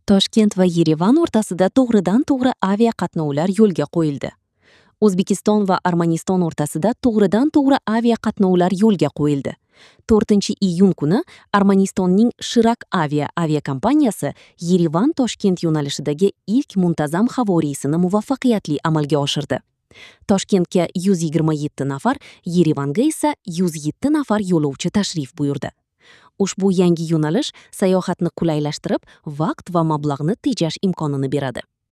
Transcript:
Toshkent va Yerevan o'rtasida to'g'ridan-to'g'ri aviaqatnovlar yo'lga qo'yildi. O'zbekiston va Armaniston o'rtasida to'g'ridan-to'g'ri aviaqatnovlar yo'lga qo'yildi. 4-iyun kuni Armanistonning Shirak Avia aviakompaniyasi Yerevan-Toshkent yo'nalishidagi ilk muntazam havo reysini muvaffaqiyatli amalga oshirdi. Toshkentga 127 nafar, Yerevanga esa 107 nafar yo'lovchi tashrif buyurdi. Ushbu yangi yo'nalish sayohatni qulaylashtirib, vaqt va mablag'ni tejash imkonini beradi.